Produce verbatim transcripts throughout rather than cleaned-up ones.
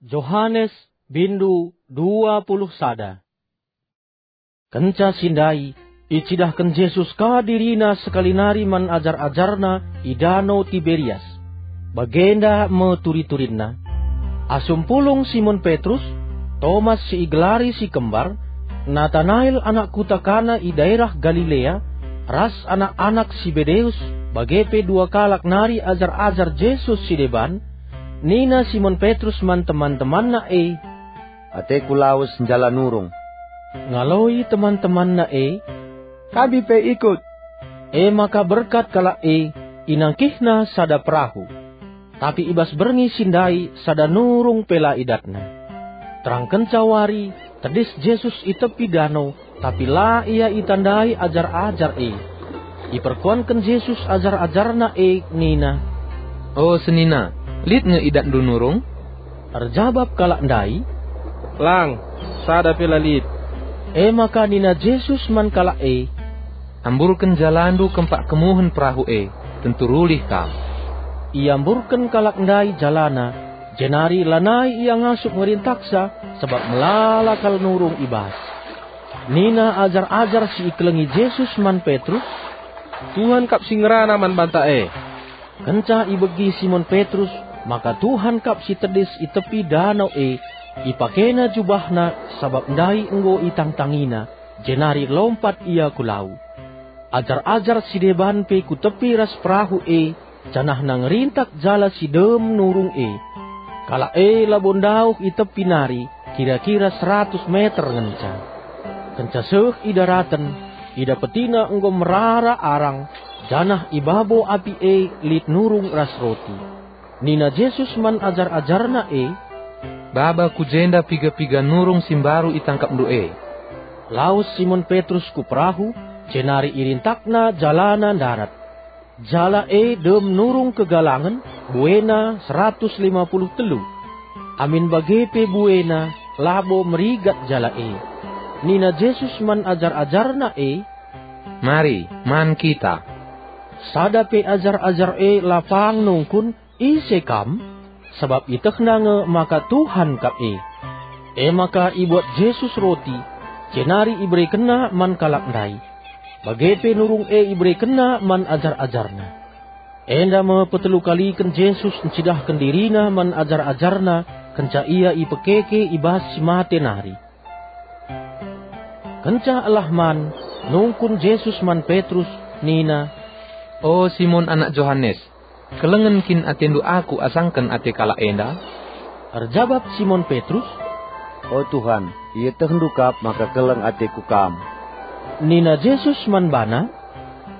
Johanes, bindu dua puluh sada. Kenca si ndai, icidahken Jesus ka diriNa sekali nari man ajar-ajarNa i Dano Tiberias. Bagenda me turi-turinna: Asum pulung Simon Petrus, Tomas si igelari si Kembar, Natanael anak kuta Kana i daerah Galilea, ras anak-anak Sibedeus, bage pe dua kalak nari ajar-ajar Jesus si deban, nina Simon Petrus man teman-temanna e, "Ateku lawes njala nurung." Ngaloi teman-temanna e, "Kami pe ikut." E maka berkat kalak e, inangkihna sada perahu. Tapi i bas berngi si ndai sada nurung pe la idatna. Terang kenca wari, tedis Jesus i tepi dano, tapi la ia itandai ajar-ajar e. Iperkuanken Jesus ajar-ajarNa e nina, "O senina, lit nge idatndu nurung?" Erjabap kalak ndai, "Lang, sada pe la lit." E maka nina Jesus man kalak e, "Amburken jalandu kempak kemuhen perahu e, tentu rulih kam." Iamburken kalak ndai jalana, jenari lanai ia ngasup ngerintaksa, sabap melala kal nurung i bas. Nina ajar-ajar si ikelengi Jesus man Petrus, "Tuhan kap si ngerana man banta e." Kenca ibegi Simon Petrus maka Tuhan kap si tedis i tepi dano e, ipakena jubahna sabap ndai enggo itangtangina, jenari lompat ia ku lau. Ajar-ajar si deban pe ku tepi ras perahu e, janahna ngerintak jala si dem nurung e. Kalak e labo ndauh i tepi nari, kira-kira seratus meter ngenca. Kenca seh i daraten, idapetina enggo merara arang, janah i babo api e lit nurung ras roti. Nina Jesus man ajar-ajarNa e, "Baba ku jenda piga-piga nurung si mbaru itangkapndu e." Lawes Simon Petrus ku perahu, jenari irintakna jalana ndarat. Jala e dem nurung kegalangen, buena seratus lima puluh telu. Amin bage pe buena labo merigat jala e. Nina Jesus man ajar-ajarNa e, "Mari, man kita." Sada pe ajar-ajar e la pang nungkun, "Ise Kam?" Sabap ietehna nge maka Tuhan kap e. E maka ibuat Jesus roti, jenari iberekenNa man kalak ndai. Bage pe nurung e iberekenNa man ajar-ajarNa. Enda me petelukaliken Jesus ncidahken diriNa man ajar-ajarNa kenca Ia ipekeke i bas si mate nari. Kenca elah man, nungkun Jesus man Petrus, nina, "O Simon anak Johanes, kelengen kin atendu Aku asangken ate kalak enda?" Erjabap Simon Petrus, "O Tuhan, ietehndu kap maka keleng ateku Kam." Nina Jesus man bana,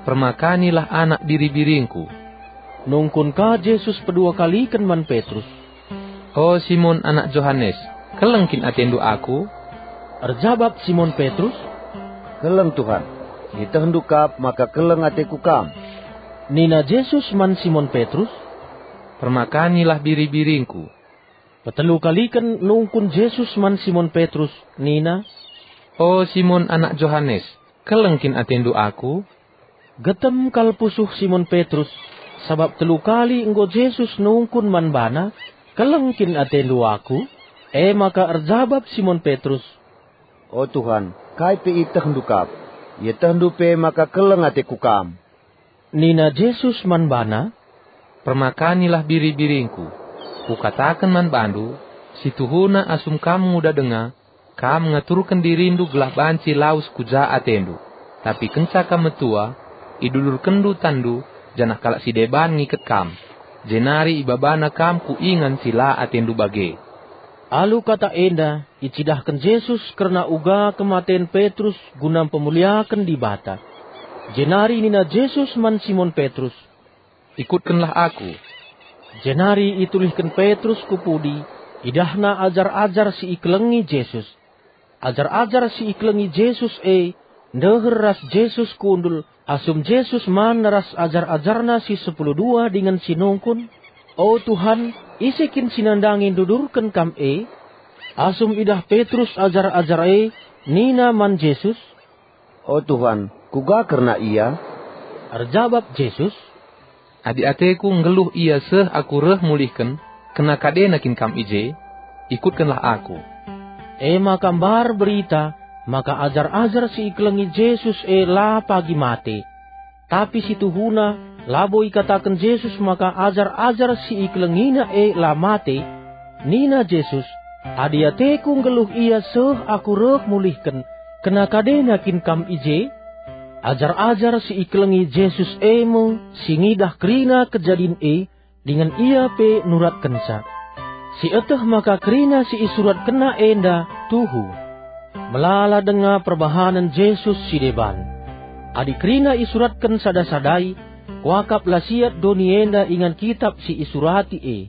"Permakanilah anak biri-biringKu." Nungkun ka Jesus pedua kaliken man Petrus, "O Simon anak Johanes, keleng kin atendu Aku?" Erjabap Simon Petrus, "Keleng, Tuhan, ietehndu kap maka keleng ateku Kam." Nina Jesus man Simon Petrus, "Permakanilah biri-biringKu." Petelu kaliken nungkun Jesus man Simon Petrus, nina, "O Simon anak Johanes, keleng kin atendu Aku?" Getem kal pusuh Simon Petrus, sabap telu kali enggo Jesus nungkun man bana, "Keleng kin atendu Aku?" E maka erjabap Simon Petrus, "O Tuhan, kai pe ietehndu kap. Ietehndu pe maka keleng ateku Kam." Nina Jesus man bana, "Permakanilah biri-biringKu. Kukataken man bandu, si tuhuna asum kam nguda denga, kam ngaturken dirindu gelah banci lawes ku ja atendu. Tapi kenca kam metua, idudurkenndu tanndu, janah kalak si deban ngiket kam, jenari ibabana kam ku ingan si la atendu bage." Alu kata enda, icidahken Jesus kerna uga kematen Petrus guna mpemuliaken Dibata. Jenari nina Jesus man Simon Petrus, "Ikutkenlah Aku." Jenari itulihken Petrus ku pudi, idahna ajar-ajar si ikelengi Jesus. Ajar-ajar si ikelengi Jesus e ndeher ras Jesus kundul, asum Jesus man ras ajar-ajarNa si sepuluh dua dingen si nungkun, "O Tuhan, ise kin si nandangi ndudurken Kam e?" Asum idah Petrus ajar-ajar e, nina man Jesus, "O Tuhan, kuga kerna ia?" Erjabap Jesus, "Adi ateKu nggeluh ia seh Aku reh mulihken, kena kadena kin kam i je?" ikutkenlah Aku." E maka mbar berita maka ajar-ajar si ikelengi Jesus e la pagi mate. Tapi si tuhuna labo ikataken Jesus maka ajar-ajar si ikelengiNa e la mate. Nina Jesus, "Adi ateKu nggeluh ia seh Aku reh mulihken, kena kadena kin kam i je?" Ajar-ajar si ikelengi Jesus e me si ngidah kerina kejadin e, dingen ia pe nuratkenca. Sieteh maka kerina si isuratkenna enda tuhu. Melala denga perbahanen Jesus si deban. Adi kerina isuratken sada-sadai, kuakap la siat doni enda ingan kitap si isurati e.